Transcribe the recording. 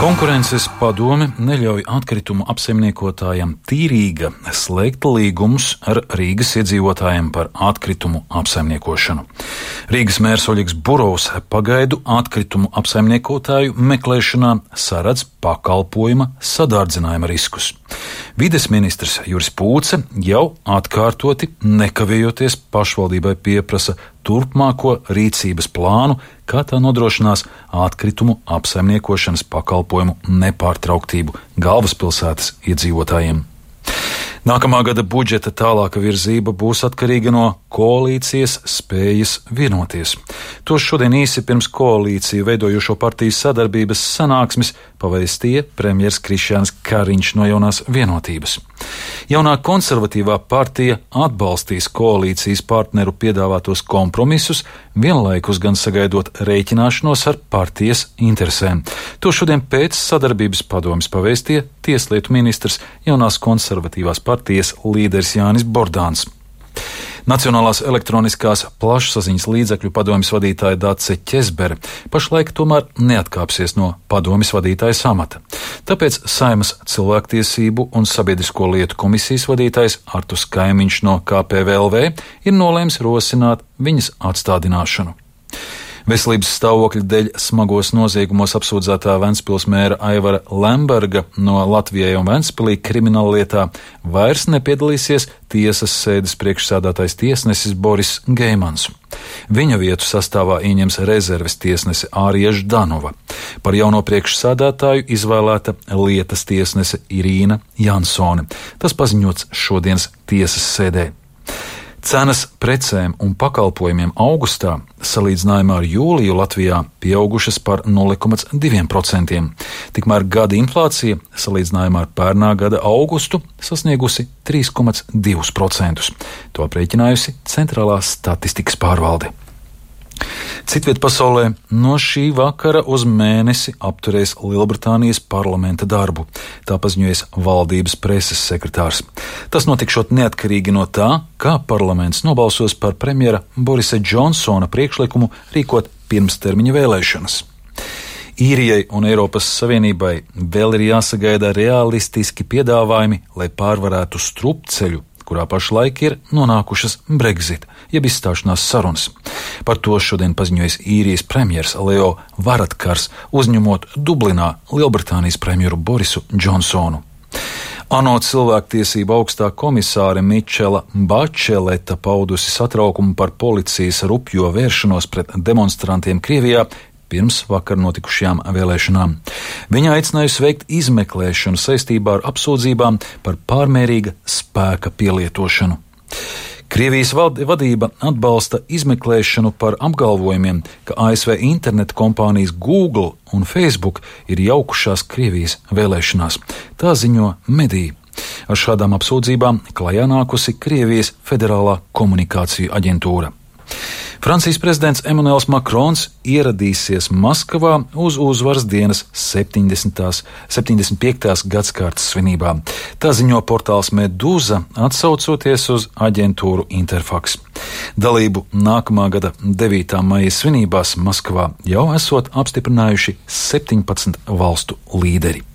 Konkurences padome neļauj atkritumu apsaimniekotājiem Tīrīga slēgt līgumus ar Rīgas iedzīvotājiem par atkritumu apsaimniekošanu. Rīgas mērs Oļegs Burovs pagaidu atkritumu apsaimniekotāju meklēšanā saredz pakalpojuma sadārdzinājuma riskus. Vides ministrs Juris Pūce jau atkārtoti nekavējoties pašvaldībai pieprasa turpmāko rīcības plānu, kā tā nodrošinās atkritumu apsaimniekošanas pakalpojumu nepārtrauktību galvaspilsētas iedzīvotājiem. Nākamā gada budžeta tālāka virzība būs atkarīga no koalīcijas spējas vienoties. To šodien īsi pirms koalīciju veidojošo partiju sadarbības sanāksmes pavēstīja premjers Krišjāns Kariņš no Jaunās vienotības. Jaunā konservatīvā partija atbalstīs koalīcijas partneru piedāvātos kompromisus, vienlaikus gan sagaidot rēķināšanos ar partijas interesēm. To šodien pēc sadarbības padomes pavēstīja tieslietu ministrs Jaunās konservatīvās partijas līderis Jānis Bordāns. Nacionālās elektroniskās plašsaziņas līdzekļu padomes vadītāja Dace Ķezbere pašlaik tomēr neatkāpsies no padomes vadītājas amata. Tāpēc Saeimas cilvēktiesību un sabiedrisko lietu komisijas vadītājs Arturs Kaimiņš no KPVLV ir nolēms rosināt viņas atstādināšanu. Veselības stāvokļa dēļ smagos noziegumos apsūdzētā Ventspils mēra Aivara Lemberga no Latvijai un Ventspilī krimināllietā vairs nepiedalīsies tiesas sēdes priekšsēdētājs tiesnesis Boris Geimans. Viņa vietu sastāvā ieņems rezerves tiesnese Ārija Ždanova. Par jauno priekšsēdētāju izvēlēta lietas tiesnese Irīna Jansone. Tas paziņots šodienas tiesas sēdē. Cenas precēm un pakalpojumiem augustā salīdzinājumā ar jūliju Latvijā pieaugušas par 0,2%. Tikmēr gada inflācija salīdzinājumā ar pērnā gada augustu sasniegusi 3,2%. To aprēķinājusi Centrālā statistikas pārvalde. Citviet pasaulē no šī vakara uz mēnesi apturēs Lielbritānijas parlamenta darbu, tā paziņojas valdības preses sekretārs. Tas notikšot neatkarīgi no tā, kā parlaments nobalsos par premjera Borisa Džonsona priekšlikumu rīkot pirmstermiņa vēlēšanas. Īrijai un Eiropas Savienībai vēl ir jāsagaida realistiski piedāvājumi, lai pārvarētu strupceļu, kurā pašlaik ir nonākušas Brexit, jeb izstāšanās sarunas. Par to šodien paziņojas Īrijas premjers Leo Varadkars, uzņemot Dublinā Lielbritānijas premjeru Borisu Džonsonu. ANO cilvēktiesība augstā komisāre Mičela Bačeleta paudusi satraukumu par policijas rupjo vēršanos pret demonstrantiem Krievijā pirms vakar notikušajām vēlēšanām. Viņa aicinājusi veikt izmeklēšanu saistībā ar apsūdzībām par pārmērīga spēka pielietošanu. Krievijas vadība atbalsta izmeklēšanu par apgalvojumiem, ka ASV interneta kompānijas Google un Facebook ir jaukušās Krievijas vēlēšanās. Tā ziņo mediji. Ar šādām apsūdzībām klajā nākusi Krievijas Federālā komunikāciju aģentūra. Francijas prezidents Emmanuels Makrons ieradīsies Maskavā uz uzvaras dienas 75. gadskārtas svinībām. Tā ziņo portāls Medūza, atsaucoties uz aģentūru Interfax. Dalību nākamā gada 9. maija svinībās Maskavā jau esot apstiprinājuši 17 valstu līderi.